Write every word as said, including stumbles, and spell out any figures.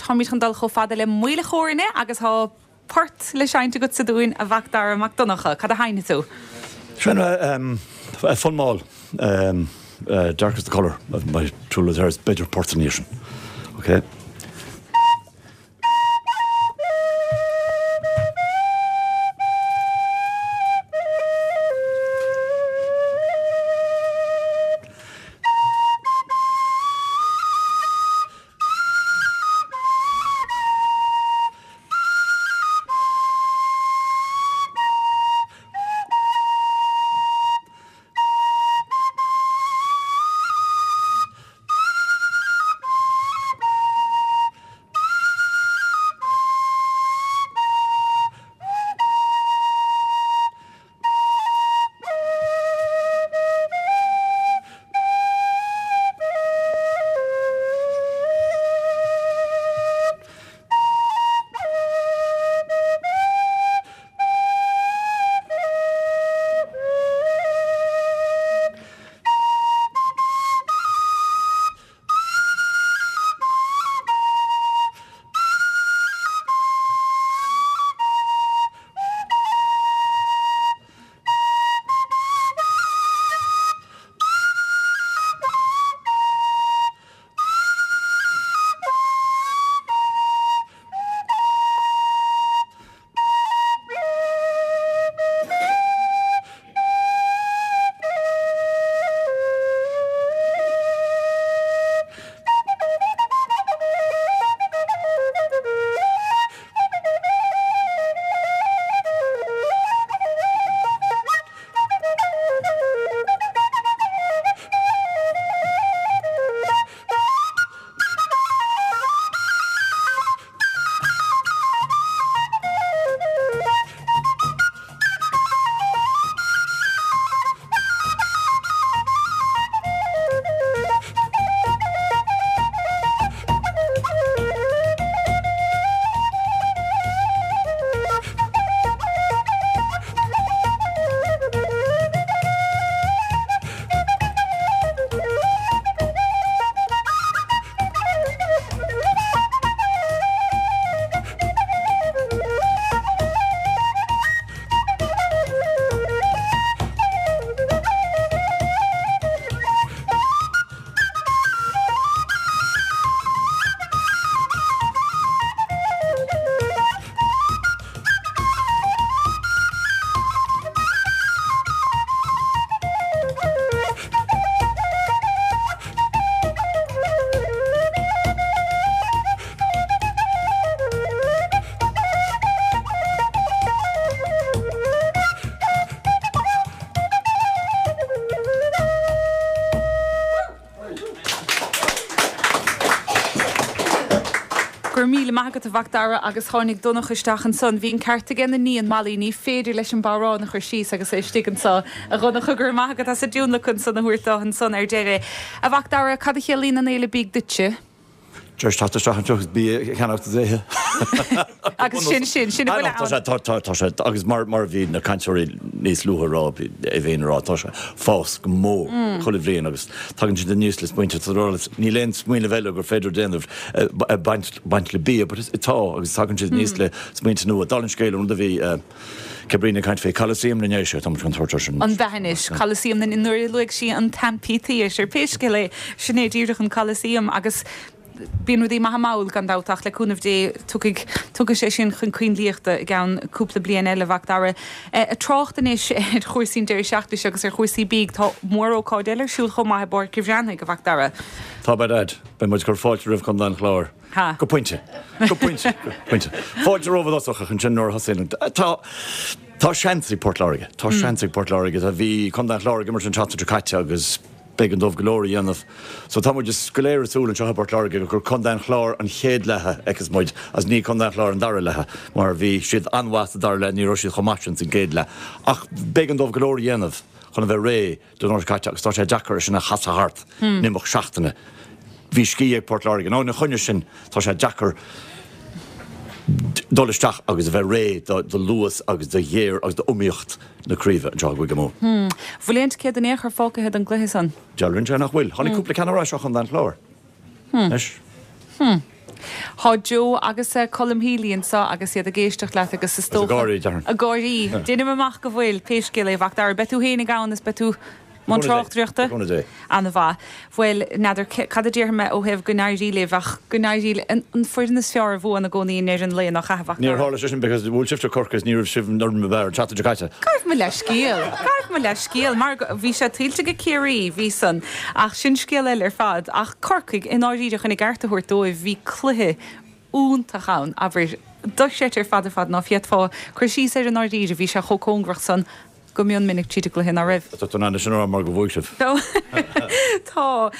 táimid chun dul chomh fada le Maoil a' Chóirne agus tá port le seinnt agatsa dúinn a Mhac Dara Mac Donncha, cad a sheinnfidh tú? Sin um, fonn mall um, uh, Dark is the colour of my true love's hair b'fhéidir port san sin. Okay. Go raibh míle maith agat a Mhac Dara agus tháinig Donncha isteach ansan. Bhí an ceart aige na níon Molly ní féidir leis an bodhrán a chur síos agus é istigh anseo a Dhonncha go raibh maith agat as an tionlacan san a thabhairt dó ansan ar deireadh. A Mhac Dara cad a chiallaíonn an fhéile bídh duitse? Just teacht isteach anseo bia a cheannach é. Agus sin sin sin Tá sé agus mar mar bhí na cainteoirí níos luaithe rá é bhéon rá tá sé fás go mór mm. chuile bhliain agus tagann siad níos le smaointe níl aon smaoineamh eile gur féidir déanamh baint le bia, but tá agus tagann siad níos le smaointe nua dal an scéal rud a bhí Cabrina caint fé Coliseum na nDéise tá an tuair sin. An bhenis Coliseum na nuair luaigh sí an t-amphitheatre pé scéal é sin é díreach an Coliseum agus bíonn rudaí maithe mall gan dabht ach le cúnamh Dé tugaig tugadh sé sin chun coinlíochta i gceann cúpla bliain eile Mhac Dara. A trácht anois ar chúrsaí deireadh seachtaine agus ar chúrsaí bídh tá mórócáid eile ar siúl chomh maith i bPáirc an Bhreathnaigh a Mhac Dara. Tá bad Beidh muid ag cur fáilte roimh Chontae an Chláir. Go pointe go pointe pointe. Fáilte rómhadosach chun sin nuair thosaíonn tá Tá seans ag Port Láirge Tá seans ag Port Láirge a bhí Contae an Chláir ag imirt an tseachtain seo caite agus b'éigean dóibh go leor a dhéanamh. So tá muid go léir ag súil anseo Port Láirge gur Contae an Chláir an chéad leath a fheicfeas muid as ní Contae an Chláir an dara leath mar bhí siad an-mhaith sa dara leath ní raibh siad chomh maith sin sa gcéad leath. Ach b'éigean dóibh go leor a dhéanamh chun a bheith réidh don uair caite agus tá sé deacair sin a chasadh thart in imeacht seachtaine. Bhí scíth ag Port Láirge ná na choinne sin tá sé deacair dul isteach agus a bheith réidh do luas agus do ghéire agus d'iomaíocht na craoibhe anseo i gCúige Mumhan. Bhfuil aon ticéad in aon chor fágtha don gcluiche san? Dealraíonn sé nach bhfuil. Tháinig cúpla ceann ar ais ó Chontae an Chláir. Leis. Tá Joe agus Colm Healy anseo agus iad ag éisteacht leat agus is dócha. Ag gáirí, déarfainn. Ag gáirí. Déanaim amach go bhfuil, pé scéal é, a Mhac Dara. Beidh tú féin ag ann is beidh tú i mbun tráchtaireachta? Go dé. An-mhaith. Bhuel, n'fheadar cad a déarfaidh mé ó thaobh go n-éirí libh ach go n-éirí le an foireann is fearr a bhuann i gcónaí i ndeireadh an lae, nach ea, a Mhac Níor tharla sé sin because bhuail sibhse Corcaigh is ní raibh sibh an fhoireann ba bhfearr an tseachtain seo caite. Gabh mo leithscéal. Gabh mo leithscéal. Mar bhí sé tuillte ag Ciarraí, bhí san. Ach sin scéal eile ar fad. Ach Corcaigh, i ndáiríre, chun a gceart a thabhairt dóibh, bhí cluiche iontach ann, abair, dochreidte ar fad ar fad ná féadfá cur síos air i ndáiríre, bhí sé chomh cóngarach san go mion minic tríd an gcluiche, ná raibh? Tá tú in ann é sin a rá mar go bhuaigh sibh. Tá.